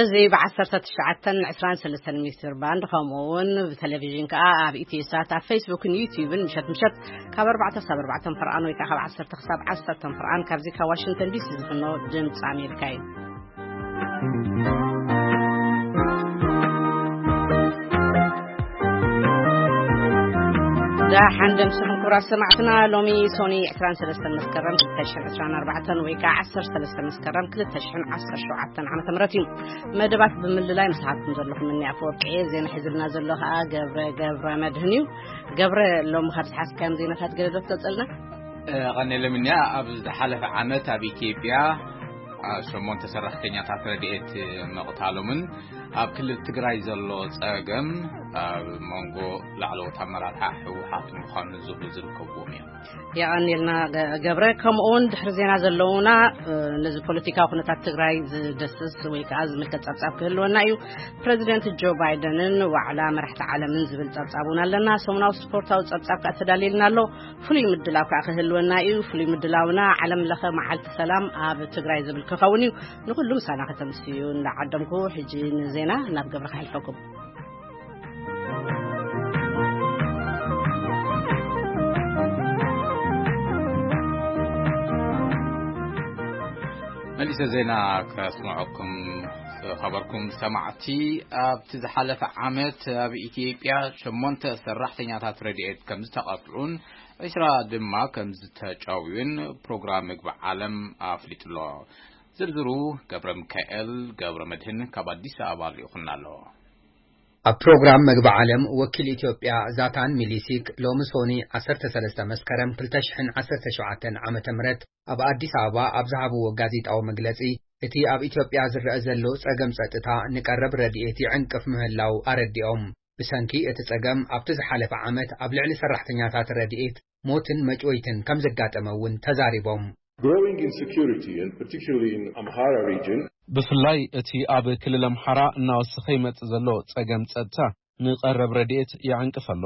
እዚ ብ19 23 ሜትር ባንድ፣ ከምኡ እውን ብቴሌቪዥን ከኣ ኣብ ኢትዮ ሳት፣ ኣብ ፌስቡክን ዩቲዩብን ምሸት ምሸት ካብ ኣርባዕተ ክሳብ ኣርባዕተ ፍርቓን ወይ ከኣ ካብ ዓሰርተ ክሳብ ዓሰርተ ፍርቓን ካብዚ ካብ ዋሽንግተን ዲሲ ዝፍኖ ድምፂ ኣሜሪካ እዩ። ደሓን ደምስኹም ክቡራት ሰማዕትና፣ ሎሚ ሶኒ ዕስራን ሰለስተን መስከረም ክልተ ሽሕን ዕስራን ኣርባዕተን ወይ ከዓ ዓሰርተ ሰለስተ መስከረም ክልተ ሽሕን ዓሰርተ ሸውዓተን ዓመተ ምህረት እዩ። መደባት ብምልላይ ምስ ሃብኩም ዘለኹም እኒ ኣፈወርቂ እየ። ዜና ሒዝልና ዘሎ ከዓ ገብረ ገብረ መድህን እዩ። ገብረ፣ ሎሚ ካብ ዝሓዝካዮም ዜናታት ገለ ዶ ትገልጸልና? እ፣ ቀኔለ ምንያ፣ ኣብ ዝሓለፈ ዓመት ኣብ ኢትዮጵያ፣ አ፣ ሸሞንተ ሰራሕተኛታት ረድኤት ምቕታሎምን ኣብ ክልል ትግራይ ዘሎ ጸገም ኣብ መንጎ ላዕለዎት ኣመራርሓ ህወሓት ምዃኑ ዝብሉ ዝርከብዎም እዮም። የቐንየልና ገ-፣ ገብረ። ከምኡ እውን ድሕሪ ዜና ዘለውና፣ እ፣ ነዚ ፖለቲካዊ ኩነታት ትግራይ ዝደስስ ወይ ከዓ ዝምልከት ጸብጻብ ክህልወና እዩ። ፕረዚደንት ጆ ባይደንን ዋዕላ መራሕቲ ዓለምን ዝብል ጸብጻብ እውን ኣለና። ሰሙናዊ ስፖርታዊ ጸብጻብ ከዓ ተዳልየልና ኣሎ። ፍሉይ ምድላው ከዓ ክህልወና እዩ። ፍሉይ ምድላውና ዓለም ለኸ መዓልቲ ሰላም ኣብ ትግራይ ዝብል ክኸውን እዩ። ንኹሉ ምሳና ከተምስዩ እንዳዓደምኩ፣ ሕጂ ንዜና ናብ ገብረ ከሕልፈኩም። መሊሰ ዜና ከስምዐኩም ዝኸበርኩም ሰማዕቲ፣ ኣብቲ ዝሓለፈ ዓመት ኣብ ኢትዮጵያ ሸሞንተ ሰራሕተኛታት ረድኤት ከም ዝተቐትዑን ዕስራ ድማ ከም ዝተጨውዩን ፕሮግራም ምግቢ ዓለም ኣፍሊጡ ኣሎ። ዝርዝሩ ገብረ ሚካኤል ገብረ መድህን ካብ ኣዲስ ኣበባ ልኢኹልና ኣሎ። ኣብ ፕሮግራም መግቢ ዓለም ወኪል ኢትዮጵያ ዛታን ሚሊሲክ ሎሚ ሶኒ ዓሰርተ ሰለስተ መስከረም ክልተ ሽሕን ዓሰርተ ሸውዓተን ዓመተ ምህረት ኣብ ኣዲስ ኣበባ ኣብ ዝሃብዎ ጋዜጣዊ መግለጺ፣ እቲ ኣብ ኢትዮጵያ ዝረአ ዘሎ ጸገም ጸጥታ ንቀረብ ረድኤት ይዕንቅፍ ምህላው ኣረዲኦም። ብሰንኪ እቲ ጸገም ኣብቲ ዝሓለፈ ዓመት ኣብ ልዕሊ ሰራሕተኛታት ረድኤት ሞትን መጭወይትን ከም ዘጋጠመ እውን ተዛሪቦም። Growing insecurity, and particularly in Amhara region. ብፍላይ እቲ ኣብ ክልል ኣምሓራ እናወሰኸ ይመጽእ ዘሎ ጸገም ጸጥታ ንቐረብ ረድኤት ይዕንቅፍ ኣሎ።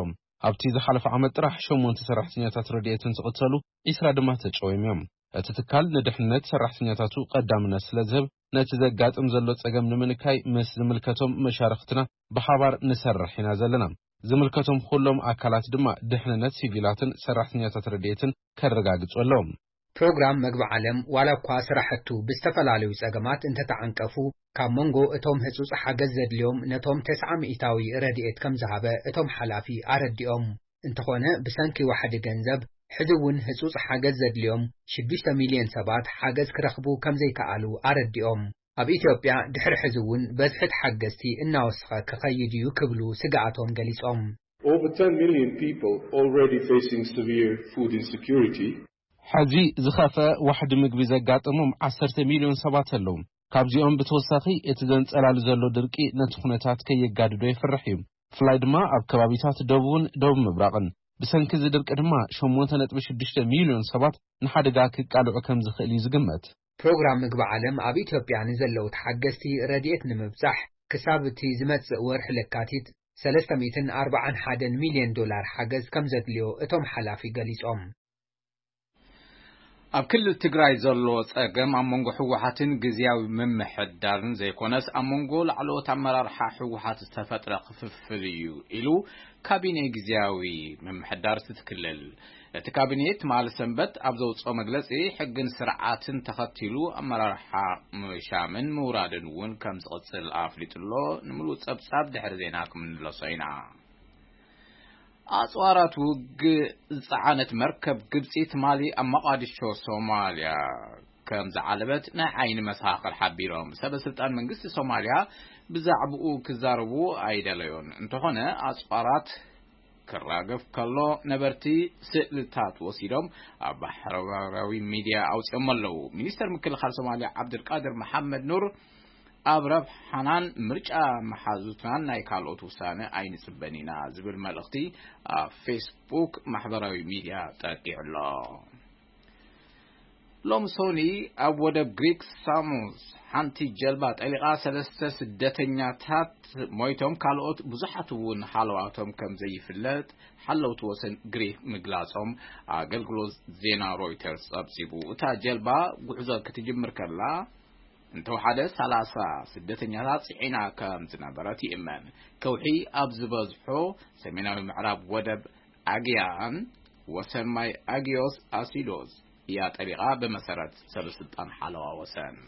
ኣብቲ ዝሓለፈ ዓመት ጥራሕ ሸሞንተ ሰራሕተኛታት ረድኤት እንትቕተሉ፣ ዕስራ ድማ ተጨውዮም እዮም። እቲ ትካል ንድሕነት ሰራሕተኛታቱ ቀዳምነት ስለ ዝህብ፣ ነቲ ዘጋጥም ዘሎ ጸገም ንምንካይ ምስ ዝምልከቶም መሻርኽትና ብሓባር ንሰርሕ ኢና ዘለና። ዝምልከቶም ኩሎም ኣካላት ድማ ድሕንነት ሲቪላትን ሰራሕተኛታት ረድኤትን ከረጋግጹ ኣለዎም። ፕሮግራም መግቢ ዓለም ዋላ እኳ ስራሕቱ ብዝተፈላለዩ ጸገማት እንተተዓንቀፉ፣ ካብ መንጎ እቶም ህጹጽ ሓገዝ ዘድልዮም ነቶም ተስዓ ሚእታዊ ረድኤት ከም ዝሃበ እቶም ሓላፊ ኣረዲኦም። እንተኾነ፣ ብሰንኪ ዋሕዲ ገንዘብ፣ ሕዚ እውን ህጹጽ ሓገዝ ዘድልዮም ሽዱሽተ ሚልዮን ሰባት ሓገዝ ክረኽቡ ከም ዘይከኣሉ ኣረዲኦም። ኣብ ኢትዮጵያ ድሕሪ ሕዚ እውን በዝሒ ተሓገዝቲ እናወሰኸ ክኸይድ እዩ ክብሉ ስግኣቶም ገሊጾም። Over ten million people already facing severe food insecurity. ሕዚ ዝኸፍአ ዋሕዲ ምግቢ ዘጋጠሞም ዓሰርተ ሚልዮን ሰባት ኣለዉ። ካብዚኦም ብተወሳኺ እቲ ዘንጸላሉ ዘሎ ድርቂ ነቲ ኩነታት ከየጋድዶ የፍርሕ እዩ። ብፍላይ ድማ ኣብ ከባቢታት ደቡብን ደቡብ ምብራቕን። ብሰንኪ እዚ ድርቂ ድማ ሸሞንተ ነጥቢ ሽዱሽተ ሚልዮን ሰባት ንሓደጋ ክቃልዑ ከም ዝኽእል እዩ ዝግመት። ፕሮግራም ምግቢ ዓለም ኣብ ኢትዮጵያ ንዘለዉ ተሓገዝቲ ረድኤት ንምብጻሕ ክሳብ እቲ ዝመጽእ ወርሒ ለካቲት ሰለስተ ሚእትን ኣርባዓን ሓደን ሚልዮን ዶላር ሓገዝ ከም ዘድልዮ እቶም ሓላፊ ገሊጾም። ኣብ ክልል ትግራይ ዘሎ ጸገም ኣብ መንጎ ህወሓትን ግዝያዊ ምምሕዳርን ዘይኮነስ፣ ኣብ መንጎ ላዕለዎት ኣመራርሓ ህወሓት ዝተፈጥረ ክፍፍል እዩ ኢሉ ካቢኔ ግዝያዊ ምምሕዳር እቲ ክልል። እቲ ካቢኔ ትማሊ ሰንበት ኣብ ዘውፅኦ መግለፂ፣ ሕግን ስርዓትን ተኸቲሉ ኣመራርሓ ምሻምን ምውራድን እውን ከም ዝቕፅል ኣፍሊጡ ኣሎ። ንምሉእ ፀብፃብ ድሕሪ ዜና ክምንለሶ ኢና። ኣጽዋራት ውግእ ዝጸዓነት መርከብ ግብጺ ትማሊ ኣብ መቓዲሾ ሶማልያ ከም ዝዓለበት ናይ ዓይኒ መሰኻኽር ሓቢሮም። ሰበ ስልጣን መንግስቲ ሶማልያ ብዛዕባኡ ክዛረቡ ኣይደለዩን። እንተኾነ፣ ኣጽዋራት ክራገፍ ከሎ ነበርቲ ስእልታት ወሲዶም ኣብ ማሕበራዊ ሚድያ ኣውጺኦም ኣለዉ። ሚኒስተር ምክልኻል ሶማልያ ዓብዱልቃድር መሓመድ ኑር፣ ኣብ ረብሓናን ምርጫ መሓዙትናን ናይ ካልኦት ውሳነ ኣይንጽበን ኢና ዝብል መልእኽቲ ኣብ ፌስቡክ ማሕበራዊ ሚድያ ጠቂዑ ኣሎ። ሎም ሶኒ ኣብ ወደብ ግሪክ ሳሙስ ሓንቲ ጀልባ ጠሊቓ ሰለስተ ስደተኛታት ሞይቶም፣ ካልኦት ብዙሓት እውን ሃለዋቶም ከም ዘይፍለጥ ሓለውቲ ወሰን ግሪክ ምግላጾም ኣገልግሎት ዜና ሮይተርስ ጸብጺቡ። እታ ጀልባ ጉዕዞ ክትጅምር ከላ፣ እንተወሓደ ሰላሳ ስደተኛታት ጽዒና ከም ዝነበረት ይእመን። ከውሒ ኣብ ዝበዝሖ ሰሜናዊ ምዕራብ ወደብ ኣግያን ወሰን ማይ ኣጊዮስ ኣሲዶስ እያ ጠሊቓ፣ ብመሰረት ሰበስልጣን ሓለዋ ወሰን።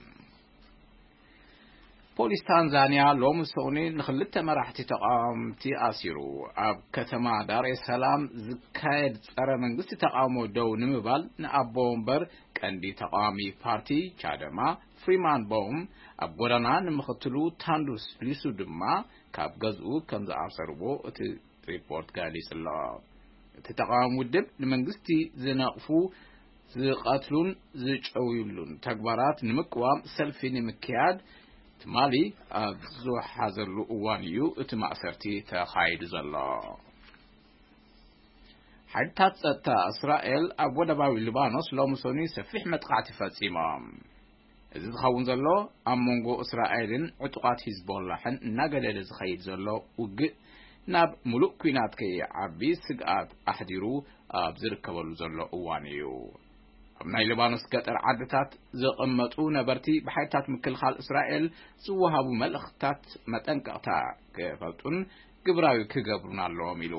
ፖሊስ ታንዛንያ ሎሚ ሰኑይ ንኽልተ መራሕቲ ተቓወምቲ ኣሲሩ። ኣብ ከተማ ዳሬ ሰላም ዝካየድ ጸረ መንግስቲ ተቓውሞ ደው ንምባል ንኣቦ ወንበር ቀንዲ ተቓዋሚ ፓርቲ ቻደማ ፍሪማን ቦም ኣብ ጎዳና፣ ንምኽትሉ ታንዱስ ሊሱ ድማ ካብ ገዝኡ ከም ዝኣሰርዎ እቲ ሪፖርት ገሊጹ ኣሎ። እቲ ተቓዋሚ ውድብ ንመንግስቲ ዝነቕፉ፣ ዝቐትሉን ዝጨውዩሉን ተግባራት ንምቅዋም ሰልፊ ንምክያድ ትማሊ ኣብ ዝወሓዘሉ እዋን እዩ እቲ ማእሰርቲ ተኻይዱ ዘሎ። ሓይልታት ጸጥታ እስራኤል ኣብ ወደባዊ ሊባኖስ ሎሚ ሰኑይ ሰፊሕ መጥቃዕቲ ፈጺሞም። እዚ ዝኸውን ዘሎ ኣብ መንጎ እስራኤልን ዕጡቓት ሂዝቦላሕን እናገደደ ዝኸይድ ዘሎ ውግእ ናብ ምሉእ ኲናት ከይዓቢ ስግኣት ኣሕዲሩ ኣብ ዝርከበሉ ዘሎ እዋን እዩ። ኣብ ናይ ሊባኖስ ገጠር ዓድታት ዝቕመጡ ነበርቲ ብሓይልታት ምክልኻል እስራኤል ዝወሃቡ መልእኽታት መጠንቀቕታ ክፈልጡን ግብራዊ ክገብሩን ኣለዎም ኢሉ።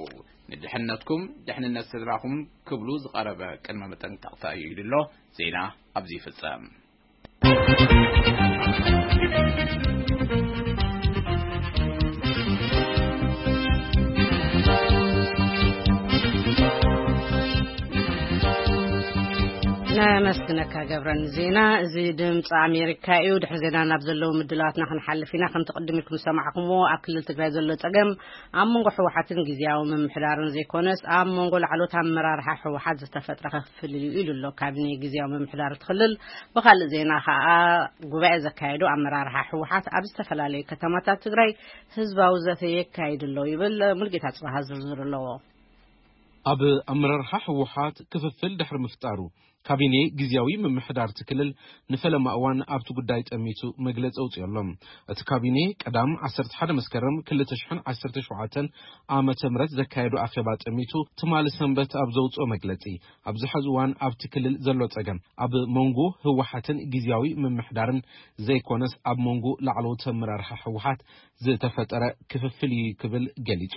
ንድሕነትኩም፣ ድሕንነት ስድራኹም ክብሉ ዝቐረበ ቅድመ መጠንቀቕታ እዩ ኢሉ ኣሎ። ዜና ኣብዚ ይፍጸም። ነመስግነካ ገብረን ዜና። እዚ ድምፂ ኣሜሪካ እዩ። ድሕሪ ዜና ናብ ዘለዉ ምድላዋትና ክንሓልፍ ኢና። ከምቲ ቅድም ኢልኩም ዝሰማዕኩምዎ፣ ኣብ ክልል ትግራይ ዘሎ ፀገም ኣብ መንጎ ህወሓትን ግዝያዊ ምምሕዳርን ዘይኮነስ፣ ኣብ መንጎ ላዕሎት ኣመራርሓ ህወሓት ዝተፈጥረ ክፍፍል እዩ ኢሉ ኣሎ ካቢኔ ግዝያዊ ምምሕዳር እቲ ክልል። ብኻልእ ዜና ከዓ፣ ጉባኤ ዘካየዱ ኣመራርሓ ህወሓት ኣብ ዝተፈላለዩ ከተማታት ትግራይ ህዝባዊ ዘተ የካይዱ ኣለዉ ይብል። ሙልጌታ ጽባሃ ዝርዝር ኣለዎ። ኣብ ኣመራርሓ ህወሓት ክፍፍል ድሕሪ ምፍጣሩ፣ ካቢኔ ግዝያዊ ምምሕዳር እቲ ክልል ንፈለማ እዋን ኣብቲ ጉዳይ ጠሚቱ መግለጺ ኣውጺኡ ኣሎ። እቲ ካቢኔ ቀዳም ዓሰርተ ሓደ መስከረም ክልተ ሽሕን ዓሰርተ ሸውዓተን ዓመተ ምህረት ዘካየዱ ኣኼባ ጠሚቱ፣ ትማሊ ሰንበት ኣብ ዘውጽኦ መግለጺ፣ ኣብዚ ሕዚ እዋን ኣብቲ ክልል ዘሎ ጸገም ኣብ መንጎ ህወሓትን ግዝያዊ ምምሕዳርን ዘይኮነስ፣ ኣብ መንጎ ላዕለዎት ኣመራርሓ ህወሓት ዝተፈጠረ ክፍፍል እዩ ክብል ገሊጹ።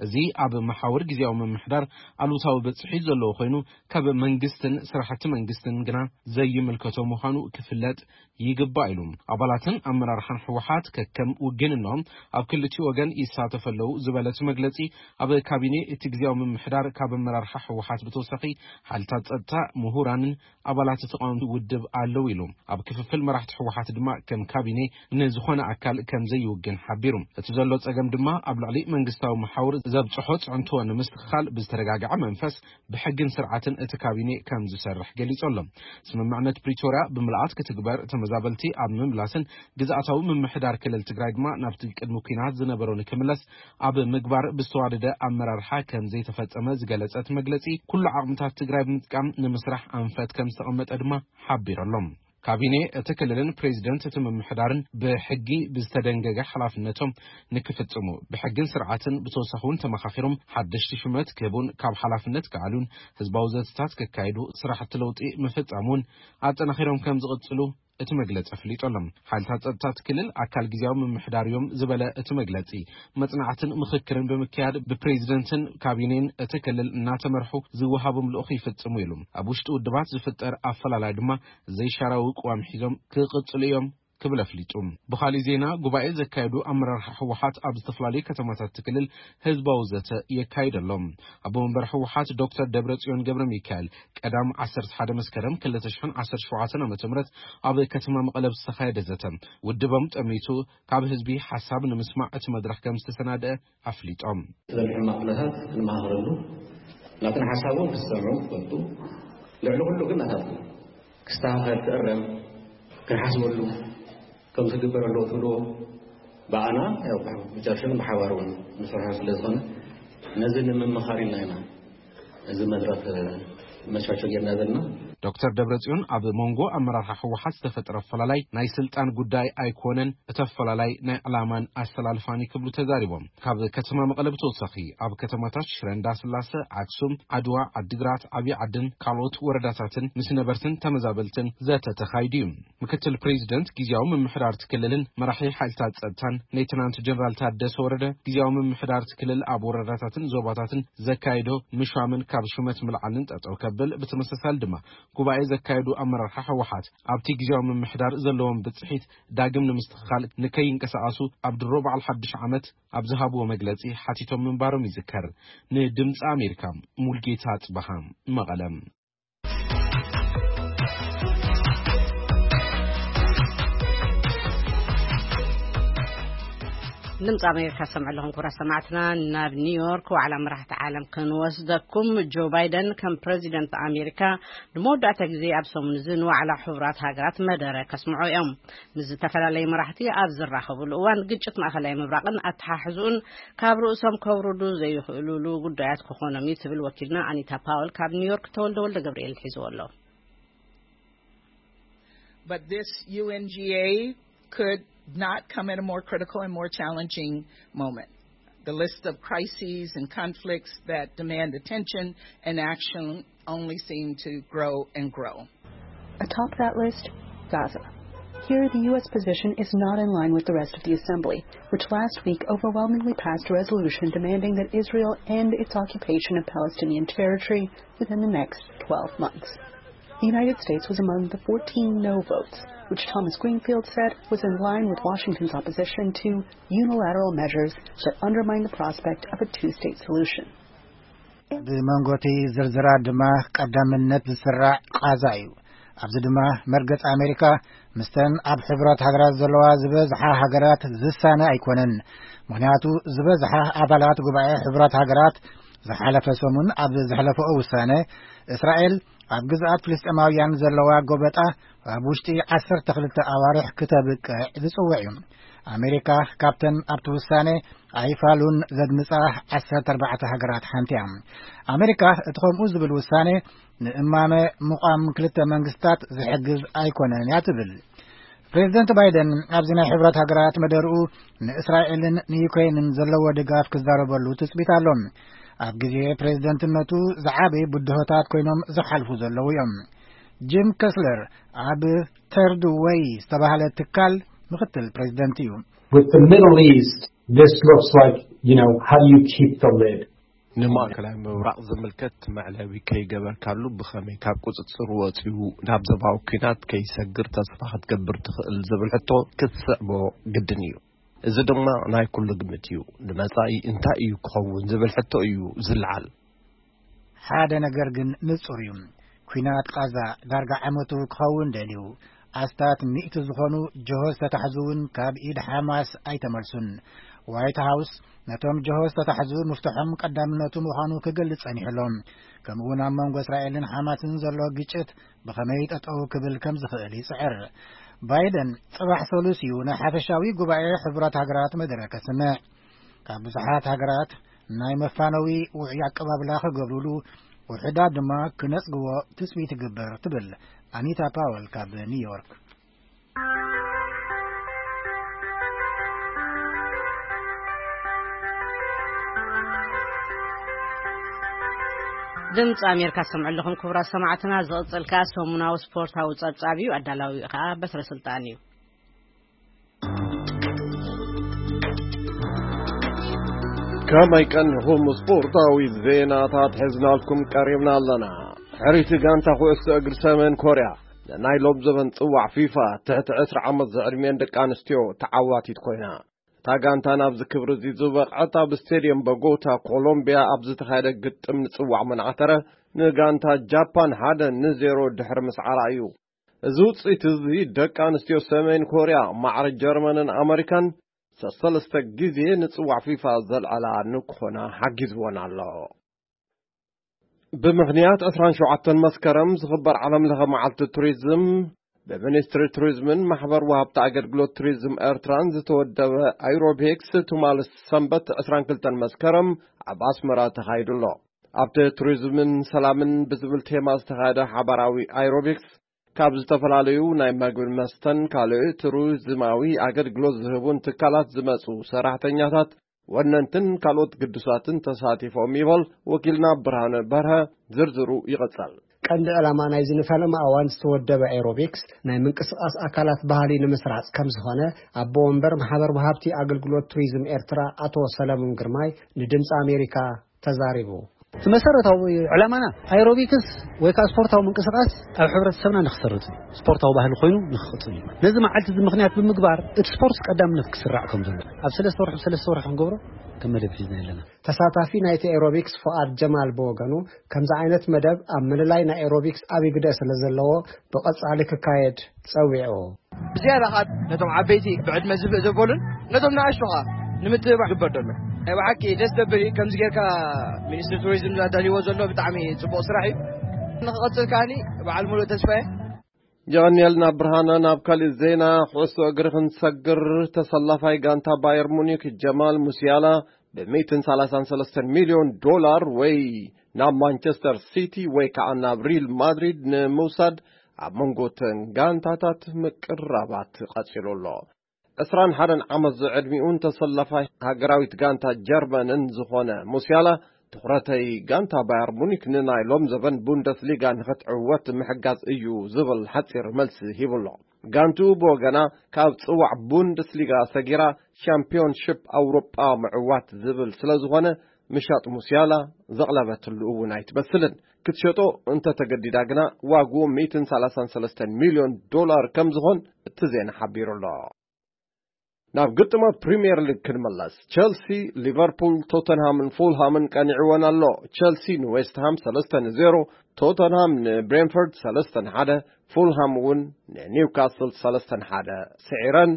እዚ ኣብ መሓውር ግዝያዊ ምምሕዳር ኣሉታዊ በጽሒ ዘለዎ ኮይኑ፣ ካብ መንግስትን ስራሕቲ መንግስትን ግና ዘይምልከቶ ምዃኑ ክፍለጥ ይግባእ ኢሉ። ኣባላትን ኣመራርሓን ህወሓት ከከም ውግንኖም ኣብ ክልቲኡ ወገን ይሳተፉ ኣለዉ ዝበለ እቲ መግለጺ፣ ኣብ ካቢኔ እቲ ግዝያዊ ምምሕዳር ካብ ኣመራርሓ ህወሓት ብተወሳኺ ሓይልታት ጸጥታ፣ ምሁራንን ኣባላት ተቃወምቲ ውድብ ኣለዉ ኢሉ። ኣብ ክፍፍል መራሕቲ ህወሓት ድማ ከም ካቢኔ ንዝኾነ ኣካል ከም ዘይውግን ሓቢሩ። እቲ ዘሎ ጸገም ድማ ኣብ ልዕሊ መንግስታዊ መሓውር ዘብጽሖ ጽዕንቶ ንምስትኽኻል ብዝተረጋግዐ መንፈስ ብሕግን ስርዓትን እቲ ካቢኔ ከም ዝሰርሕ ገሊጹ ኣሎ። ስምምዕነት ፕሪቶርያ ብምልኣት ክትግበር፣ ተመዛበልቲ ኣብ ምምላስን ግዝኣታዊ ምምሕዳር ክልል ትግራይ ድማ ናብቲ ቅድሚ ኲናት ዝነበሮ ንክምለስ ኣብ ምግባር ብዝተዋደደ ኣመራርሓ ከም ዘይተፈጸመ ዝገለጸ እቲ መግለጺ፣ ኩሉ ዓቕምታት ትግራይ ብምጥቃም ንምስራሕ ኣንፈት ከም ዝተቐመጠ ድማ ሓቢሩ ኣሎ። ካቢኔ እቲ ክልልን ፕሬዚደንት እቲ ምምሕዳርን ብሕጊ ብዝተደንገገ ሓላፍነቶም ንክፍጽሙ፣ ብሕግን ስርዓትን ብተወሳኺ እውን ተመኻኺሮም ሓደሽቲ ሹመት ክህቡን ካብ ሓላፍነት ክኣልዩን ህዝባዊ ዘተታት ከካይዱ፣ ስራሕቲ ለውጢ ምፍጻም እውን ኣጠናኺሮም ከም ዝቕጽሉ እቲ መግለጺ ኣፍሊጡ ኣሎ። ሓይልታት ጸጥታ እቲ ክልል ኣካል ግዝያዊ ምምሕዳር እዮም ዝበለ እቲ መግለጺ፣ መጽናዕትን ምኽክርን ብምክያድ ብፕሬዚደንትን ካቢኔን እቲ ክልል እናተመርሑ ዝወሃቦም ልኡኽ ይፍጽሙ ኢሉ። ኣብ ውሽጢ ውድባት ዝፍጠር ኣፈላላይ ድማ ዘይሻራዊ ቅዋም ሒዞም ክቕጽሉ እዮም ክብል ኣፍሊጡ። ብኻሊእ ዜና፣ ጉባኤ ዘካየዱ ኣመራርሓ ህወሓት ኣብ ዝተፈላለዩ ከተማታት እቲ ክልል ህዝባዊ ዘተ የካይድ ኣሎ። ኣቦ መንበር ህወሓት ዶክተር ደብረጽዮን ገብረ ሚካኤል ቀዳም ዓሰርተ ሓደ መስከረም ክልተ ሽሕን ዓሰርተ ሸውዓተን ዓመተ ምህረት ኣብ ከተማ መቐለ ብዝተኻየደ ዘተ፣ ውድቦም ጠሚቱ ካብ ህዝቢ ሓሳብ ንምስማዕ እቲ መድረኽ ከም ዝተሰናደአ ኣፍሊጦም። ስለ ሕማቕ ኩነታት ክንመኻኸረሉ፣ ናትና ሓሳብ እውን ክሰምዑ ክፈልጡ፣ ልዕሊ ኩሉ ግን ናታትና ክስተኻኸል፣ ክእረም፣ ክንሓስበሉ ከም ዝግበር ኣለዎ ትብልዎ፣ ብኣና፣ ያው፣ ብመጨረሻ ብሓባር እውን ንሰርሖ ስለ ዝኾነ፣ ነዚ ንምምኻር ኢልና ኢና እዚ መድረኽ መቻቸ ጌርና ዘለና። ዶክተር ደብረጽዮን ኣብ መንጎ ኣመራርሓ ህወሓት ዝተፈጥረ ኣፈላላይ ናይ ስልጣን ጉዳይ ኣይኮነን፣ እቲ ኣፈላላይ ናይ ዕላማን ኣሰላልፋን ክብሉ ተዛሪቦም። ካብ ከተማ መቐለ ብተወሳኺ ኣብ ከተማታት ሽረ እንዳስላሰ፣ ኣክሱም፣ ዓድዋ፣ ዓዲግራት፣ ዓብዪ ዓድን ካልኦት ወረዳታትን ምስ ነበርትን ተመዛበልትን ዘተ ተኻይዱ እዩ። ምክትል ፕሬዚደንት ግዜያዊ ምምሕዳር እቲ ክልልን መራሒ ሓይልታት ጸጥታን ሌተናንት ጀነራል ታደሰ ወረደ፣ ግዜያዊ ምምሕዳር እቲ ክልል ኣብ ወረዳታትን ዞባታትን ዘካየዶ ምሻምን ካብ ሹመት ምልዓልን ጠጠው ከብል፣ ብተመሳሳሊ ድማ ጉባኤ ዘካየዱ ኣመራርሓ ህወሓት ኣብቲ ግዜያዊ ምምሕዳር ዘለዎም ብጽሒት ዳግም ንምስትኽኻል ንከይንቀሳቐሱ ኣብ ድሮ በዓል ሓድሽ ዓመት ኣብ ዝሃብዎ መግለጺ ሓቲቶም ምንባሮም ይዝከር። ንድምፂ ኣሜሪካ ሙልጌታ ጽበሃ፣ መቐለም። ድምፂ ኣሜሪካ ሰምዑ ኣለኹም ክቡራት ሰማዕትና። ናብ ኒውዮርክ ዋዕላ መራሕቲ ዓለም ክንወስደኩም። ጆ ባይደን ከም ፕረዚደንት ኣሜሪካ ንመወዳእታ ግዜ ኣብ ሰሙን እዚ ንዋዕላ ሕቡራት ሃገራት መደረ ከስምዑ እዮም። ምስ ዝተፈላለዩ መራሕቲ ኣብ ዝራኸብሉ እዋን፣ ግጭት ማእኸላይ ምብራቕን ኣተሓሕዝኡን ካብ ርእሶም ከውርዱ ዘይኽእሉሉ ጉዳያት ክኾኖም እዩ ትብል ወኪልና ኣኒታ ፓወል ካብ ኒውዮርክ። ተወልደ ወልደ ገብርኤል ሒዝዎ ኣሎ። But this U N G A could not come at a more critical and more challenging moment. The list of crises and conflicts that demand attention and action only seem to grow and grow. Atop that list, Gaza. Here, the U S position is not in line with the rest of the assembly, which last week overwhelmingly passed a resolution demanding that Israel end its occupation of Palestinian territory within the next twelve months. The United States was among the fourteen no votes, which Thomas Greenfield said was in line with Washington's opposition to unilateral measures that undermine the prospect of a two state solution. ብመንጎቲ ዝርዝራት ድማ ቀዳምነት ዝስራዕ ቃዛ እዩ። ኣብዚ ድማ መርገጽ ኣሜሪካ ምስተን ኣብ ሕቡራት ሃገራት ዘለዋ ዝበዝሓ ሃገራት ዝሳነ ኣይኮነን። ምኽንያቱ ዝበዝሓ ኣባላት ጉባኤ ሕቡራት ሃገራት ዝሓለፈ ሰሙን ኣብ ዘሕለፈኦ ውሳነ፣ እስራኤል ኣብ ግዝኣት ፍልስጤማውያን ዘለዋ ጎበጣ ኣብ ውሽጢ ዓሰርተ ክልተ ኣዋርሕ ክተብቅዕ ዝጽውዕ እዩ። ኣሜሪካ ካብተን ኣብቲ ውሳነ ኣይፋሉን ዘድምጻ ዓሰርተ ኣርባዕተ ሃገራት ሓንቲ እያ። ኣሜሪካ እቲ ከምኡ ዝብል ውሳነ ንእማመ ምቋም ክልተ መንግስታት ዝሕግዝ ኣይኮነን እያ ትብል። ፕሬዚደንት ባይደን ኣብዚ ናይ ሕብረት ሃገራት መደርኡ ንእስራኤልን ንዩክሬንን ዘለዎ ድጋፍ ክዛረበሉ ትጽቢት ኣሎ። ኣብ ግዜ ፕሬዚደንትነቱ ዝዓበዩ ብድሆታት ኮይኖም ዝሓልፉ ዘለዉ እዮም። ጂም ከስለር ኣብ ተርድ ወይ ዝተባህለ ትካል ምኽትል ፕሬዚደንት እዩ። With the Middle East, this looks like, you know, how do you keep the lid? ንማእከላይ ምብራቕ ዝምልከት መዕለቢ ከይገበርካሉ ብኸመይ ካብ ቁጽጽር ወጺኡ ናብ ዞባዊ ኲናት ከይሰግር ተስፋ ክትገብር ትኽእል ዝብል ሕቶ ክትስዕቦ ግድን እዩ። እዚ ድማ ናይ ኩሉ ግምት እዩ። ንመጻኢ እንታይ እዩ ክኸውን ዝብል ሕቶ እዩ ዝለዓል። ሓደ ነገር ግን ንጹር እዩ። ኲናት ቓዛ ዳርጋ ዓመቱ ክኸውን ደልዩ። ኣስታት ሚእቲ ዝኾኑ ጀሆ ዝተታሕዙ እውን ካብ ኢድ ሓማስ ኣይተመልሱን። ዋይት ሃውስ ነቶም ጀሆ ዝተታሕዙ ምፍትሖም ቀዳምነቱ ምዃኑ ክገልጽ ጸኒሑ ኣሎ። ከምኡውን ኣብ መንጎ እስራኤልን ሓማስን ዘሎ ግጭት ብኸመይ ጠጠው ክብል ከም ዝኽእል ይጽዕር። ባይደን ጽባሕ ሰሉስ እዩ ናይ ሓፈሻዊ ጉባኤ ሕቡራት ሃገራት መደረ ከስምዕ። ካብ ብዙሓት ሃገራት ናይ መፋነዊ ውዑይ ኣቀባብላ ክገብሩሉ፣ ውሑዳት ድማ ክነጽግዎ ትጽቢት ይግበር ትብል ኣኒታ ፓወል ካብ ኒውዮርክ። ድምፂ ኣሜሪካ ሰምዑ ኣለኹም ክቡራት ሰማዕትና። ዝቕፅል ከዓ ሰሙናዊ ስፖርታዊ ፀብፃብ እዩ። ኣዳላዊኡ ከዓ በትረ ስልጣን እዩ። ከመይ ቀኒኹም? ስፖርታዊ ዜናታት ሒዝናልኩም ቀሪብና ኣለና። ሕርይቲ ጋንታ ኩዕሶ እግሪ ሰሜን ኮርያ ንናይ ሎም ዘበን ጽዋዕ ፊፋ ትሕቲ ዕስራ ዓመት ዝዕድሜን ደቂ ኣንስትዮ ተዓዋቲት ኮይና። እታ ጋንታ ናብዚ ክብሪ እዚ ዝበቕዐት ኣብ ስቴድየም ቦጎታ ኮሎምቢያ ኣብ ዝተኻየደ ግጥም ንጽዋዕ መናዕተረ ንጋንታ ጃፓን ሓደ ንዜሮ ድሕሪ ምስዓራ እዩ። እዚ ውጽኢት እዚ ደቂ ኣንስትዮ ሰሜን ኮርያ ማዕረ ጀርመንን ኣመሪካን ሰሰለስተ ግዜ ንጽዋዕ ፊፋ ዘልዓላ ንክኾና ሓጊዝወን ኣሎ። ብምኽንያት ዕስራን ሸውዓተን መስከረም ዝኽበር ዓለም ለኸ መዓልቲ ቱሪዝም ብሚኒስትሪ ቱሪዝምን ማሕበር ወሃብቲ ኣገልግሎት ቱሪዝም ኤርትራን ዝተወደበ ኣይሮቤክስ ትማል ሰንበት ዕስራን ክልተን መስከረም ኣብ ኣስመራ ተኻይዱ ኣሎ። ኣብቲ ቱሪዝምን ሰላምን ብዝብል ቴማ ዝተኻየደ ሓባራዊ ኣይሮቢክስ ካብ ዝተፈላለዩ ናይ መግብን መስተን ካልእ ቱሪዝማዊ ኣገልግሎት ዝህቡን ትካላት ዝመጹ ሰራሕተኛታት፣ ወነንትን ካልኦት ግዱሳትን ተሳቲፎም ይበል ወኪልና ብርሃነ በርሀ። ዝርዝሩ ይቐጸል። ቀንዲ ዕላማ ናይዚ ንፈለማ እዋን ዝተወደበ ኤሮቢክስ ናይ ምንቅስቓስ ኣካላት ባህሊ ንምስራጽ ከም ዝኾነ ኣቦ ወንበር ማሕበር ወሃብቲ ኣገልግሎት ቱሪዝም ኤርትራ ኣቶ ሰለሙን ግርማይ ንድምፂ ኣሜሪካ ተዛሪቡ። እቲ መሰረታዊ ዕላማና ኣይሮቢክስ ወይ ከዓ ስፖርታዊ ምንቅስቃስ ኣብ ሕብረተሰብና ንክሰርጽ እዩ። ስፖርታዊ ባህሊ ኮይኑ ንክቕጽል እዩ። ነዚ መዓልቲ እዚ ምክንያት ብምግባር እቲ ስፖርት ቀዳምነት ክስራዕ ከም ዘሎ ኣብ ሰለስተ ወርሒ ብሰለስተ ወርሒ ክንገብሮ ከም መደብ ሒዝና ኣለና። ተሳታፊ ናይቲ ኤሮቢክስ ፍቓድ ጀማል ብወገኑ፣ ከምዚ ዓይነት መደብ ኣብ ምልላይ ናይ ኤሮቢክስ ዓቢ ግደ ስለ ዘለዎ ብቐጻሊ ክካየድ ጸዊዑ። ብዝያዳ ኸዓ ነቶም ዓበይቲ ብዕድመ ዝብእ ዘበሉን ነቶም ንኣሽቱ ኸዓ ንምትብባዕ ግበር ዘሎ ናይ ብሓቂ ደስ ደብል እዩ። ከምዚ ጌርካ ሚኒስትሪ ቱሪዝም ኣዳልይዎ ዘሎ ብጣዕሚ ጽቡቕ ስራሕ እዩ። ንክቐጽል ከዓኒ በዓል ሙሉእ ተስፋ እየ። የቐንየልና ብርሃነ። ናብ ካሊእ ዜና ኩዕሶ እግሪ ክንሰግር፣ ተሰላፋይ ጋንታ ባየር ሙኒክ ጀማል ሙሲያላ ብ ሚእትን ሰላሳን ሰለስተን ሚልዮን ዶላር ወይ ናብ ማንቸስተር ሲቲ ወይ ከዓ ናብ ሪል ማድሪድ ንምውሳድ ኣብ መንጎ ተን ጋንታታት ምቅራባት ቀጺሉ ኣሎ። ዕስራን ሓደን ዓመት ዝዕድሚኡን ተሰላፋይ ሃገራዊት ጋንታ ጀርመንን ዝኾነ ሙሲያላ፣ ትኹረተይ ጋንታ ባየር ሙኒክ ንናይ ሎም ዘበን ቡንደስሊጋ ንኽትዕወት ምሕጋዝ እዩ ዝብል ሓጺር መልሲ ሂቡ ኣሎ። ጋንትኡ ብወገና ካብ ጽዋዕ ቡንደስሊጋ ሰጊራ ሻምፒዮንሺፕ ኣውሮጳ ምዕዋት ዝብል ስለ ዝኾነ፣ ምሻጥ ሙሲያላ ዘቕለበትሉ እውን ኣይትመስልን። ክትሸጦ እንተተገዲዳ ግና ዋግኡ ሚእትን ሰላሳን ሰለስተን ሚልዮን ዶላር ከም ዝኾን እቲ ዜና ሓቢሩ ኣሎ። ናብ ግጥማት ፕሪምየር ሊግ ክንመለስ። ቸልሲ፣ ሊቨርፑል፣ ቶተንሃምን ፉልሃምን ቀኒዕወን ኣሎ። ቸልሲ ንዌስትሃም ሰለስተ ንዜሮ፣ ቶተንሃም ንብሬንፈርድ ሰለስተ ንሓደ፣ ፉልሃም እውን ንኒውካስል ሰለስተ ንሓደ ስዒረን።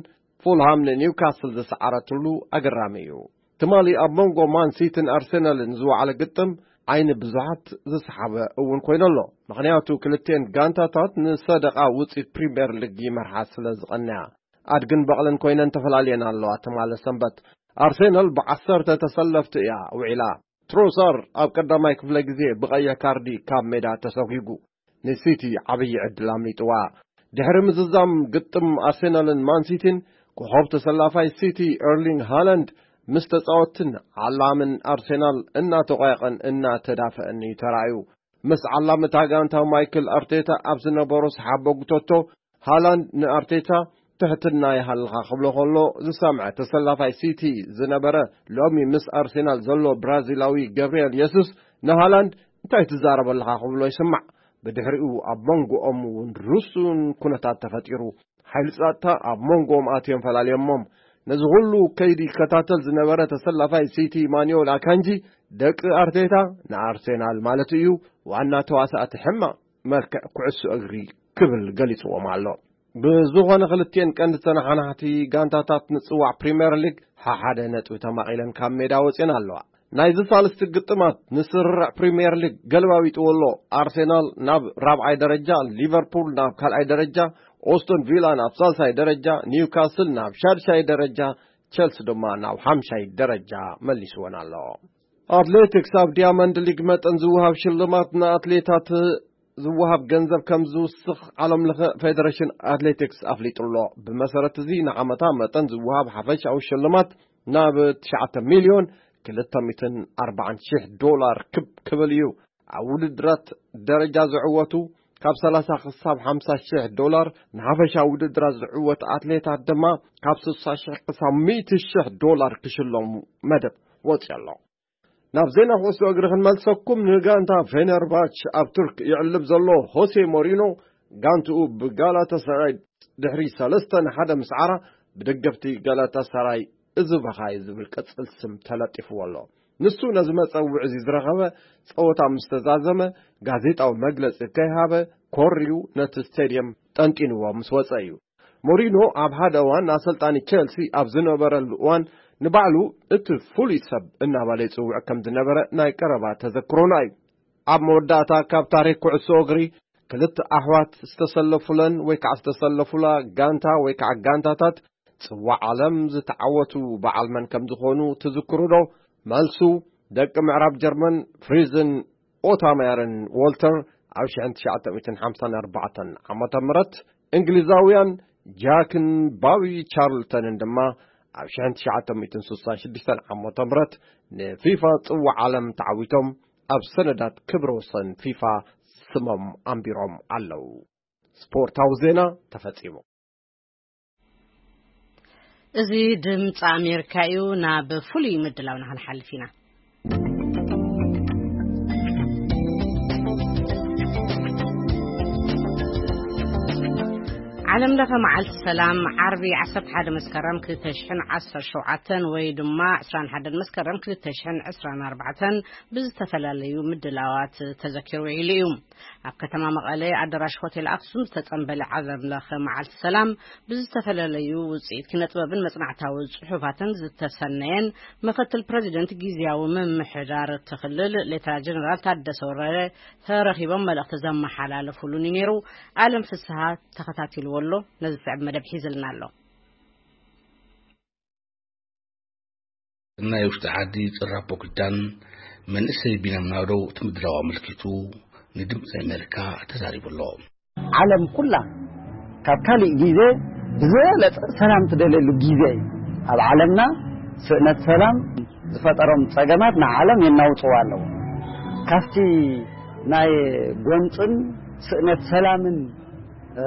ፉልሃም ንኒውካስል ዝሰዓረትሉ ኣገራሚ እዩ። ትማሊ ኣብ መንጎ ማን ሲቲን ኣርሰናልን ዝወዓለ ግጥም ዓይኒ ብዙሓት ዝሰሓበ እውን ኮይኑ ኣሎ። ምኽንያቱ ክልቴን ጋንታታት ንሰደቓ ውፅኢት ፕሪምየር ሊግ ይመርሓ ስለ ዝቐንያ፣ ኣድግን በቕልን ኮይነን ተፈላልየን ኣለዋ። ትማሊ ሰንበት ኣርሰናል ብዓሰርተ ተሰለፍቲ እያ ውዒላ። ትሮሳር ኣብ ቀዳማይ ክፍለ ግዜ ብቐይሕ ካርዲ ካብ ሜዳ ተሰጒጉ። ንሲቲ ዓብዪ ዕድል ኣምሊጥዋ። ድሕሪ ምዝዛም ግጥም ኣርሰናልን ማን ሲቲን፣ ኮኾብ ተሰላፋይ ሲቲ ኤርሊንግ ሃላንድ ምስ ተጻወትን ዓላምን ኣርሰናል እናተቋየቐን እናተዳፈአን እዩ ተራእዩ። ምስ ዓላሚ እታ ጋንታ ማይክል ኣርቴታ ኣብ ዝነበሮ ሰሓቦ ጉተቶ፣ ሃላንድ ንኣርቴታ ትሕትና ይሃልኻ ክብሎ ከሎ ዝሰምዐ ተሰላፋይ ሲቲ ዝነበረ፣ ሎሚ ምስ ኣርሰናል ዘሎ ብራዚላዊ ገብርኤል የሱስ ንሃላንድ እንታይ ትዛረብ ኣለኻ ክብሎ ይስማዕ። ብድሕሪኡ ኣብ መንጎኦም እውን ርሱን ኩነታት ተፈጢሩ። ሓይሊ ጸጥታ ኣብ መንጎኦም ኣትዮም ፈላልዮሞም። ነዚ ኩሉ ከይዲ ይከታተል ዝነበረ ተሰላፋይ ሲቲ ማኑኤል ኣካንጂ፣ ደቂ ኣርቴታ ንኣርሴናል ማለት እዩ፣ ዋና ተዋሳእቲ ሕማቕ መልክዕ ኩዕሶ እግሪ ክብል ገሊጽዎም ኣሎ። ብዝኾነ ክልቲኤን ቀንዲ ተነሓናሕቲ ጋንታታት ንጽዋዕ ፕሪምየር ሊግ ሓሓደ ነጥቢ ተማቒለን ካብ ሜዳ ወጺኤን ኣለዋ። ናይዚ ሳልስቲ ግጥማት ንስርርዕ ፕሪምየር ሊግ ገልባቢጥዎ ኣሎ። ኣርሴናል ናብ ራብዓይ ደረጃ፣ ሊቨርፑል ናብ ካልኣይ ደረጃ፣ ኦስቶን ቪላ ናብ ሳልሳይ ደረጃ፣ ኒውካስል ናብ ሻድሻይ ደረጃ፣ ቸልሲ ድማ ናብ ሓምሻይ ደረጃ መሊስወን ኣሎ። ኣትሌቲክስ፣ ኣብ ዲያመንድ ሊግ መጠን ዝወሃብ ሽልማት ንኣትሌታት ዝወሃብ ገንዘብ ከም ዝውስኽ ዓለም ለኸ ፌደሬሽን ኣትሌቲክስ ኣፍሊጡ ኣሎ። ብመሰረት እዚ ንዓመታ መጠን ዝወሃብ ሓፈሻዊ ሽልማት ናብ ትሽዓተ ሚልዮን ክልተ ሚእትን ኣርባዓን ሺሕ ዶላር ክብ ክብል እዩ። ኣብ ውድድራት ደረጃ ዝዕወቱ ካብ ሰላሳ ክሳብ ሓምሳ ሺሕ ዶላር፣ ንሓፈሻዊ ውድድራት ዝዕወቱ ኣትሌታት ድማ ካብ ስሳ ሺሕ ክሳብ ሚእቲ ሺሕ ዶላር ክሽለሙ መደብ ወፂኡ ኣሎ። ናብ ዜና ኩዕሶ እግሪ ክንመልሰኩም፣ ንጋንታ ፌነርባች ኣብ ቱርክ ይዕልብ ዘሎ ሆሴ ሞሪኖ፣ ጋንትኡ ብጋላታሳራይ ድሕሪ ሰለስተ ንሓደ ምስዓራ፣ ብደገፍቲ ጋላታሳራይ እዚ በኻይ ዝብል ቅጽል ስም ተለጢፍዎ ኣሎ። ንሱ ነዚ መጸውዒ እዚ ዝረኸበ፣ ጸወታ ምስ ተዛዘመ፣ ጋዜጣዊ መግለጺ ከይሃበ፣ ኮርዩ ነቲ ስቴድየም ጠንጢንዎ ምስ ወጸ እዩ። ሞሪኖ ኣብ ሓደ እዋን ኣሰልጣኒ ቸልሲ ኣብ ዝነበረሉ እዋን፣ ንባዕሉ እቲ ፍሉይ ሰብ እናበለ ይጽውዕ ከም ዝነበረ ናይ ቀረባ ተዘክሮና እዩ። ኣብ መወዳእታ፣ ካብ ታሪኽ ኩዕሶ እግሪ ክልተ ኣሕዋት ዝተሰለፉለን ወይ ከዓ ዝተሰለፉላ ጋንታ ወይ ከዓ ጋንታታት ጽዋዕ ዓለም ዝተዓወቱ በዓል መን ከም ዝኾኑ ትዝክሩ ዶ? መልሱ፣ ደቂ ምዕራብ ጀርመን ፍሪዝን ኦታማየርን ዎልተር ኣብ ሽሕን ትሽዓተ ሚእትን ሓምሳን ኣርባዕተን ዓመተ ምህረት፣ እንግሊዛውያን ጃክን ባቢ ቻርልተንን ድማ ኣብ ሽሕን ትሽዓተ ሚእትን ስሳን ሽዱሽተን ዓመተ ምህረት ንፊፋ ጽዋዕ ዓለም ተዓዊቶም ኣብ ሰነዳት ክብረ ወሰን ፊፋ ስሞም ኣንቢሮም ኣለዉ። ስፖርታዊ ዜና ተፈጺሙ። እዚ ድምፂ ኣሜሪካ እዩ። ናብ ፍሉይ ምድላው ንክንሓልፍ ኢና። ዓለም ለኸ መዓልቲ ሰላም ዓርቢ ዓሰርተ ሓደ መስከረም ክልተ ሽሕን ዓሰርተ ሸውዓተን ወይ ድማ ዕስራን ሓደን መስከረም ክልተ ሽሕን ዕስራን ኣርባዕተን ብዝተፈላለዩ ምድላዋት ተዘኪሩ ውዒሉ እዩ። ኣብ ከተማ መቐለ ኣዳራሽ ሆቴል ኣክሱም ዝተጸንበለ ዓለም ለኸ መዓልቲ ሰላም ብዝተፈላለዩ ውጽኢት ኪነጥበብን መጽናዕታዊ ጽሑፋትን ዝተሰነየን ምኽትል ፕረዚደንት ግዝያዊ ምምሕዳር እቲ ክልል ሌተና ጀነራል ታደሰ ወረደ ተረኺቦም መልእኽቲ ዘመሓላለፉሉን እዩ ነይሩ። ኣለም ፍስሃ ተኸታቲልዎ ኣሎ። ነዚ ዝስዕብ መደብ ሒዝልና ኣሎ። ናይ ውሽጢ ዓዲ ጽራቦ ክዳን መንእሰይ ቢንያም ናደው እቲ ምድላው ኣመልኪቱ ንድምፂ ኣሜሪካ ተዛሪቡ ኣሎ። ዓለም ኩላ ካብ ካሊእ ግዜ ብዝበለጸ ሰላም ትደልየሉ ግዜ እዩ። ኣብ ዓለምና ስእነት ሰላም ዝፈጠሮም ጸገማት ንዓለም የናውጽዋ ኣለዉ። ካብቲ ናይ ጎንጽን ስእነት ሰላምን እ፣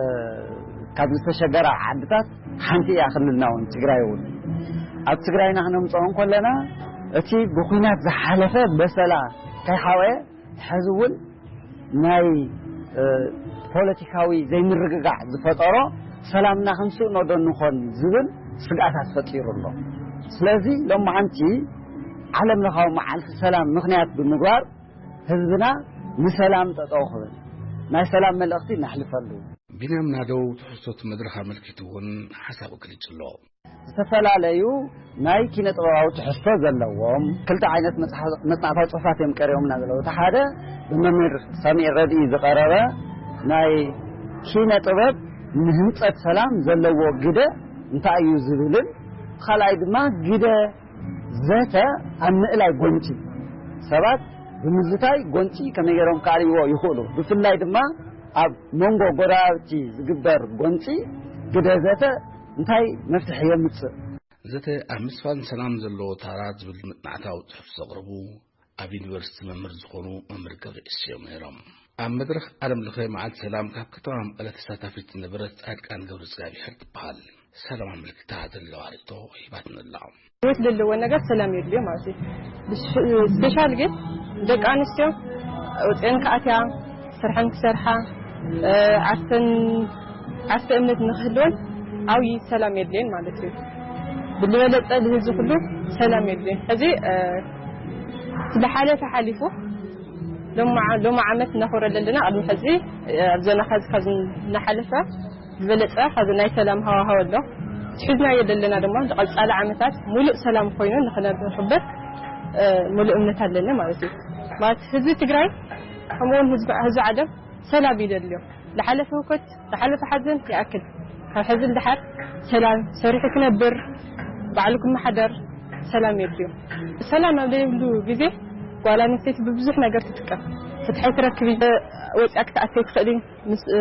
ካብ ዝተሸገራ ዓድታት ሓንቲ እያ ክልልና እውን፣ ትግራይ እውን። ኣብ ትግራይና ክነምፅኦ እንከለና እቲ ብኲናት ዝሓለፈ በሰላ ከይሓወየ፣ ሕዚ እውን ናይ፣ እ፣ ፖለቲካዊ ዘይምርግጋዕ ዝፈጠሮ ሰላምና ክንስእኖ ዶ ንኾን ዝብል ስግኣታት ፈጢሩ ኣሎ። ስለዚ ሎማዓንቲ ዓለም ለኻዊ መዓልቲ ሰላም ምኽንያት ብምግባር ህዝብና ንሰላም ጠጠው ክብል ናይ ሰላም መልእኽቲ ነሕልፈሉ። ቢንያም ናደው ትሕዝቶ እቲ መድረኽ ኣመልኪቱ እውን ሓሳቡ ገሊጹ ኣሎ። ዝተፈላለዩ ናይ ኪነ ጥበባዊ ትሕዝቶ ዘለዎም ክልተ ዓይነት መጽሓ-፣ መጽናዕታዊ ጽሑፋት እዮም ቀሪቦምና ዘለዉ። እቲ ሓደ ብመምህር ሳሚኤል ረድኢ ዝቐረበ ናይ ኪነ ጥበብ ንህንጸት ሰላም ዘለዎ ግደ እንታይ እዩ ዝብልን፣ ካልኣይ ድማ ግደ ዘተ ኣብ ምእላይ ጎንጺ፣ ሰባት ብምዝታይ ጎንጺ ከመይ ገይሮም ከዕልይዎ ይኽእሉ፣ ብፍላይ ድማ ኣብ መንጎ ጎረባብቲ ዝግበር ጎንጺ ግደ ዘተ እንታይ መፍትሒ የምጽእ? ዘተ ኣብ ምስፋን ሰላም ዘለዎ ታራ ዝብል መጽናዕታዊ ጽሑፍ ዘቕረቡ ኣብ ዩኒቨርሲቲ መምህር ዝኾኑ መምህር ገብረ እስዮም ነይሮም። ኣብ መድረኽ ዓለም ለኸ መዓልቲ ሰላም ካብ ከተማ መቐለ ተሳታፊት ዝነበረት ጻድቃን ገብረ እግዚኣብሔር ትበሃል። ሰላም ኣመልኪታ ዘለዋ ርእይቶ ሂባትና ኣላ። ህይወት ለለዎ ነገር ሰላም የድልዮ ማለት እዩ። ብስ-፣ ስፔሻል ግን ደቂ ኣንስትዮ ወፅአን ክኣትያ፣ ስርሐን ክሰርሓ፣ እ፣ ዓርሰን፣ ዓርሰ እምነት ንክህልወን ዓብዪ ሰላም የድልየን ማለት እዩ። ብዝበለፀ ንህዝቢ ኩሉ ሰላም የድልየን። ሕዚ፣ እ፣ ዝሓለፈ ሓሊፉ ሎማ-፣ ሎማ ዓመት እናኾረ ዘለና፣ ቅድሚ ሕዚ፣ እ፣ ኣብ ዞና ካብ፣ ካብ ዝናሓለፈ ዝበለጸ ሐዚ ናይ ሰላም ሃዋህው ኣሎ። ሒዝናዮ ዘለና ድማ ንቐጻሊ ዓመታት ሙሉእ ሰላም ኮይኑ ንኽነብር፣ እ፣ ሙሉእ እምነት ኣለኒ ማለት እዩ። ማለት ህዝቢ ትግራይ ከምኡውን ህዝቢ፣ ህዝቢ ዓለም ሰላም ይደልዮ። ዝሓለፈ ህውከት፣ ዝሓለፈ ሓዘን ይኣክል። ካብ ሕዚ ንደሓር ሰላም፣ ሰሪሑ ክነብር፣ ባዕሉ ክመሓደር ሰላም የድልዮ። ሰላም ኣብ ዘይብሉ ግዜ ጓል ኣንስተይቲ ብብዙሕ ነገር ትጥቀም። ፍትሒ ኣይትረክብን፣ ወፂኣ ክትኣትይ ትኽእልን። ምስ፣ እ፣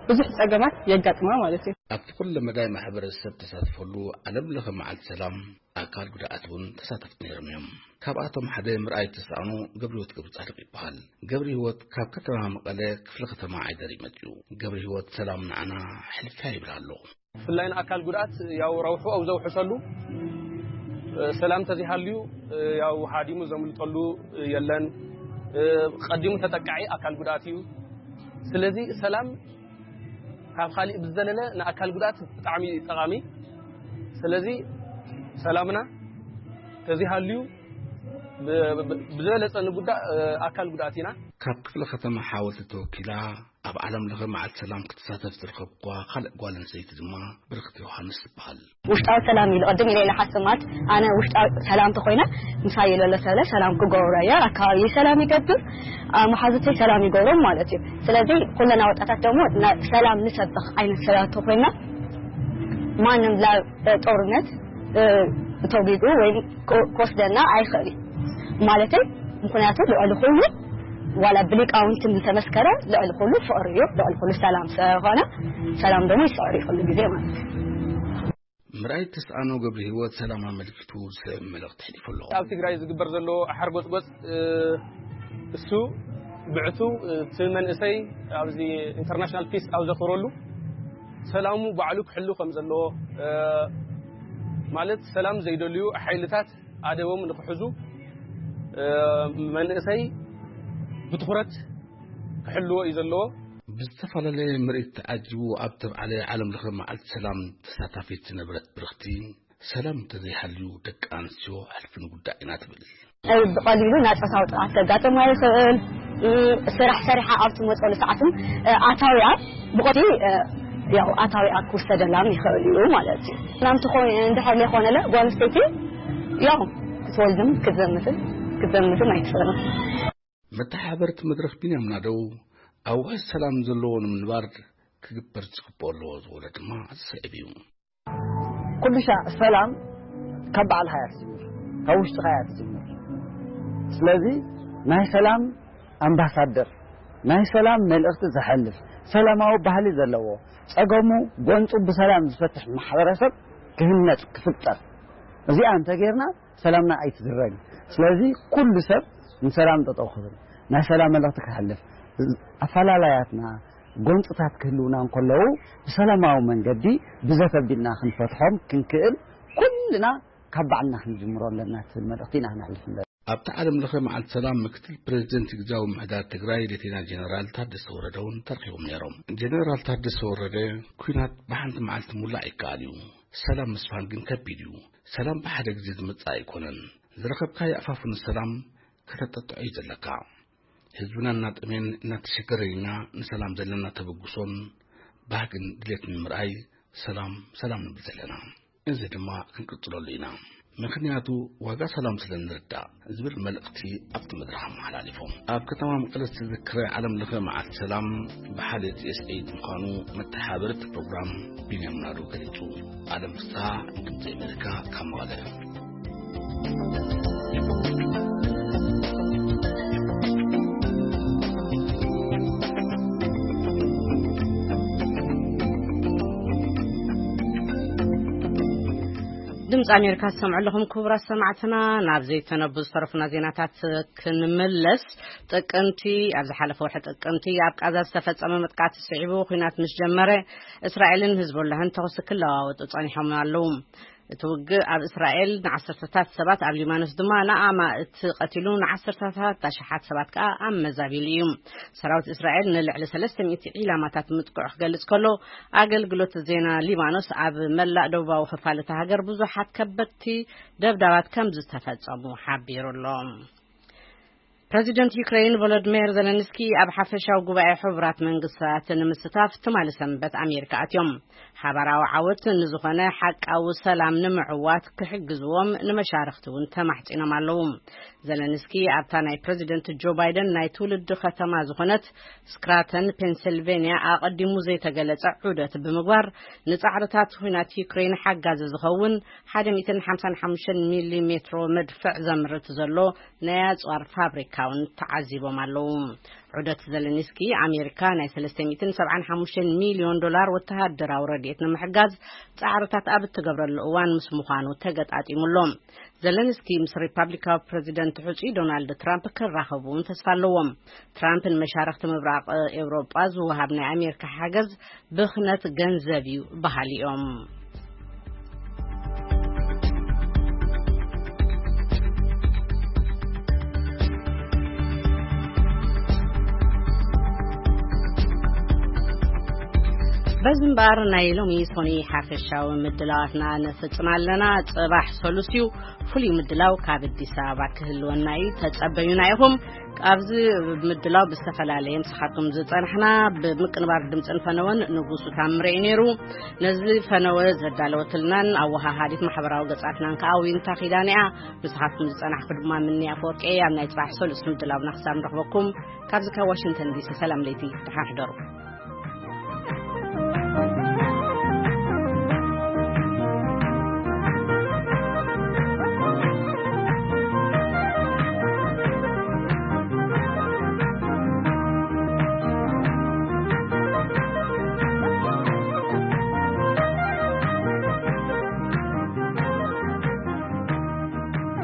ብዙሕ ጸገማት የጋጥማ ማለት እዩ። ኣብቲ ኩለ መዳይ ማሕበረሰብ ተሳትፈሉ ዓለም ለኸ መዓልቲ ሰላም ኣካል ጉድኣት እውን ተሳተፍቲ ነይሮም እዮም። ካብኣቶም ሓደ ምርኣይ ተሳእኖ ገብረ ህይወት ገብረ ጻድቕ ይበሃል። ገብረ ህይወት ካብ ከተማ መቐለ ክፍለ ከተማ ዓይደር እዩ መጺኡ። ገብረ ህይወት ሰላም ንዓና ሕልፍያ ይብል ኣሎ። ብፍላይ ንኣካል ጉድኣት ያው ረብሑ ኣብ ዘውሕሰሉ፣ እ፣ ሰላም ተዚሃልዩ፣ እ፣ ያው ሃዲሙ ዘምልጠሉ የለን። እ፣ ቀዲሙ ተጠቃዒ ኣካል ጉድኣት እዩ። ስለዚ ሰላም ካብ ካሊእ ብዝዘለለ ንኣካል ጉድኣት ብጣዕሚ ጠቓሚ። ስለዚ ሰላምና ተዚሃልዩ ብ-፣ ብ-፣ ብዝበለጸ ንጉዳእ፣ እ፣ ኣካል ጉድኣት ኢና። ካብ ክፍለ ከተማ ሓወልቲ ተወኪላ ኣብ ዓለም ለኸ መዓልቲ ሰላም ክትሳተፍ ዝረኸብኳ ካልእ ጓል ኣንስተይቲ ድማ ብርክቲ ዮሃንስ ትበሃል። ውሽጣዊ ሰላም ኢሉ ቅድም ኢለ ኢለ ሓስማት ኣነ ውሽጣዊ ሰላም ተኾይነ ምሳይ ዘሎ ሰለ ሰላም ክገብሮ እየ። ኣካባቢ ሰላም ይገብር፣ መሓዙተይ ሰላም ይገብሮም ማለት እዩ። ስለዚ ኩለና ወጣታት ደግሞ ና-፣ ሰላም ንሰብኽ ዓይነት ሰባት ተኾይና ማንም ላ-፣ ጦርነት፣ እ፣ ተጒጉ ወይም ክወስደና ኣይኽእል እዩ። ማለተይ ምኽንያቱ ልዕሊ ኩሉ ዋላ ብሊቃውንትን ዝተመስከረ ልዕሊ ኩሉ ፍቕሪ እዩ፣ ልዕሊ ኩሉ ሰላም ስለኾነ ሰላም ደግሞ ይስዕር እዩ ኩሉ ግዜ ማለት እዩ። ምርኣይ ተስኣኖ ገብረ ህይወት ሰላም ኣመልኪቱ ዝስዕብ መልእኽቲ ሕሊፉ ኣሎ። ኣብ ትግራይ ዝግበር ዘሎ ሓርጎጽጎጽ እሱ ብዕቱ እቲ መንእሰይ ኣብዚ ኢንተርናሽናል ፒስ ኣብ ዘኽብረሉ ሰላሙ ባዕሉ ክሕሉ ከም ዘለዎ ማለት ሰላም ዘይደልዩ ሓይልታት ኣደቦም ንክሕዙ መንእሰይ ብትኹረት ክሕልዎ እዩ ዘለዎ። ብዝተፈላለየ ምርኢት ተዓጂቡ ኣብ ተብዓለ ዓለም ለኸ መዓልቲ ሰላም ተሳታፊት ዝነበረት ብርኽቲ፣ ሰላም እንተዘይሃልዩ ደቂ ኣንስትዮ ሕልፊ ንጉዳእ ኢና ትብል። ብቐሊሉ ናይ ጾታዊ ጥቕዓት ከጋጥማ ይኽእል። ስራሕ ሰሪሓ ኣብ ትመፀሉ ሰዓትን ኣታውያ ብቐቲ ያው ኣታውያ ክውሰደላም ይኽእል እዩ ማለት እዩ። ናምቲ እንድሕር ዘይኮነለ ጓል ኣንስተይቲ ያው ክትወልድም ክትዘምትን ክትዘምትን ኣይትኽእልን። መተሓበርቲ መድረኽ ቢንያም ናደው ኣዋጅ ሰላም ዘለዎ ንምንባር ክግበር ዝግብኦ ኣለዎ ዝበሎ ድማ ዝስዕብ እዩ። ኩሉ ሻዕ ሰላም ካብ ባዕልኻ እያ ትጅምር፣ ካብ ውሽጥኻ እያ ትጅምር። ስለዚ ናይ ሰላም ኣምባሳደር፣ ናይ ሰላም መልእኽቲ ዘሕልፍ፣ ሰላማዊ ባህሊ ዘለዎ፣ ጸገሙ ጎንጹ ብሰላም ዝፈትሕ ማሕበረሰብ ክህነጽ ክፍጠር፣ እዚኣ እንተጌርና ሰላምና ኣይትዝረግ። ስለዚ ኩሉ ሰብ ንሰላም ጠጠው ክብል፣ ናይ ሰላም መልእኽቲ ክሕልፍ፣ ኣፈላላያትና ጎንፅታት ክህልውና እንከለዉ ብሰላማዊ መንገዲ ብዘተ ኣቢልና ክንፈትሖም ክንክእል ኩልና ካብ ባዕልና ክንጅምሮ ኣለና ትብል መልእኽቲ ኢና ክነሕልፍ ንደሊ። ኣብቲ ዓለም ለኸ መዓልቲ ሰላም ምክትል ፕሬዚደንት ግዝያዊ ምምሕዳር ትግራይ ሌተና ጀነራል ታደሰ ወረደ እውን ተረኺቦም ነይሮም። ጀነራል ታደሰ ወረደ፣ ኲናት ብሓንቲ መዓልቲ ሙላእ ይከኣል እዩ፣ ሰላም ምስፋን ግን ከቢድ እዩ። ሰላም ብሓደ ግዜ ዝመጽእ ኣይኮነን። ዝረኸብካዮ ኣፋፍኑ ሰላም ከተጠጥዖ እዩ ዘለካ። ህዝብና እናጠምየን እናተሸገረን ኢና ንሰላም ዘለና ተበግሶን ባህግን ድሌትን ንምርኣይ ሰላም ሰላም ንብል ዘለና። እዚ ድማ ክንቅጽለሉ ኢና። ምኽንያቱ ዋጋ ሰላም ስለ ንርዳእ ዝብል መልእኽቲ ኣብቲ መድረኽ ኣመሓላሊፎም። ኣብ ከተማ መቐለ ዝተዘክረ ዓለም ለኸ መዓልቲ ሰላም ብሓደ ቲኤስኤ ምዃኑ መተሓበርቲ ፕሮግራም ቢንያም ናዱ ገሊጹ። ኣለም ፍስሓ፣ ድምጺ ኣሜሪካ፣ ካብ መቐለ። ድምፂ ኣሜሪካ ትሰምዑ ኣለኹም ክቡራት ሰማዕትና። ናብ ዘይተነቡ ዝተረፉና ዜናታት ክንምለስ፣ ጥቅምቲ፣ ኣብ ዝሓለፈ ወርሒ ጥቅምቲ ኣብ ቃዛ ዝተፈጸመ መጥቃዕቲ ስዒቡ፣ ኲናት ምስ ጀመረ፣ እስራኤልን ህዝቦላህን ተኹሲ ክለዋወጡ ጸኒሖም ኣለዉ። እቲ ውግእ ኣብ እስራኤል ንዓሰርተታት ሰባት፣ ኣብ ሊባኖስ ድማ ንኣማእት ቀቲሉ፣ ንዓሰርተታት ኣሽሓት ሰባት ከኣ ኣመዛቢሉ እዩ። ሰራዊት እስራኤል ንልዕሊ ሰለስተ ሚእቲ ዒላማታት ምጥቅዑ ክገልጽ ከሎ፣ ኣገልግሎት ዜና ሊባኖስ ኣብ መላእ ደቡባዊ ክፋል እታ ሃገር ብዙሓት ከበድቲ ደብዳባት ከም ዝተፈጸሙ ሓቢሩ ኣሎ። ፕረዚደንት ዩክሬን ቮሎዲሚር ዘለንስኪ ኣብ ሓፈሻዊ ጉባኤ ሕቡራት መንግስታት ንምስታፍ ትማሊ ሰንበት ኣሜሪካ ኣትዮም። ሓባራዊ ዓወት ንዝኾነ ሓቃዊ ሰላም ንምዕዋት ክሕግዝዎም ንመሻርኽቲ እውን ተማሕጺኖም ኣለዉ። ዘለንስኪ ኣብታ ናይ ፕረዚደንት ጆ ባይደን ናይ ትውልዲ ከተማ ዝኾነት ስክራተን ፔንሲልቬንያ ኣቐዲሙ ዘይተገለጸ ዑደት ብምግባር፣ ንጻዕርታት ኲናት ዩክሬን ሓጋዚ ዝኸውን ሓደ ሚእትን ሓምሳን ሓሙሽተን ሚሊ ሜትሮ መድፍዕ ዘምርት ዘሎ ናይ ኣጽዋር ፋብሪካ እውን ተዓዚቦም ኣለዉ። ዑደት ዘለንስኪ ኣሜሪካ ናይ ሰለስተ ሚእትን ሰብዓን ሓሙሽተን ሚልዮን ዶላር ወተሃደራዊ ረድኤት ንምሕጋዝ ጻዕርታት ኣብ እትገብረሉ እዋን ምስ ምዃኑ ተገጣጢሙ ኣሎ። ዘለንስኪ ምስ ሪፓብሊካዊ ፕረዚደንት ሕጹይ ዶናልድ ትራምፕ ክራኸቡ እውን ተስፋ ኣለዎም። ትራምፕ ንመሻርኽቲ ምብራቕ ኤውሮጳ ዝወሃብ ናይ ኣሜሪካ ሓገዝ ብኽነት ገንዘብ እዩ በሃሊ እዮም። በዚ እምበኣር ናይ ሎሚ ሶኒ ሓፈሻዊ ምድላዋትና ነፍጽም ኣለና። ጽባሕ ሰሉስ እዩ። ፍሉይ ምድላው ካብ ኣዲስ ኣበባ ክህልወና እዩ። ተጸበዩና ኢኹም። ኣብዚ ምድላው ብዝተፈላለየ ምሳኻትኩም ዝጸናሕና ብምቅንባር ድምጽን ፈነወን ንጉሱ ታምረ እዩ ነይሩ። ነዚ ፈነወ ዘዳለወትልናን ኣወሃሃዲት ማሕበራዊ ገጻትናን ከኣ ዊንታ ኪዳነ እያ። ምሳኻትኩም ዝጸናሕኩ ድማ ምንያ ኣፈወርቂ እየ። ኣብ ናይ ጽባሕ ሰሉስ ምድላውና ክሳብ ንረኽበኩም ካብዚ ካብ ዋሽንግተን ዲሲ ሰላም ለይቲ፣ ደሓን ሕደሩ።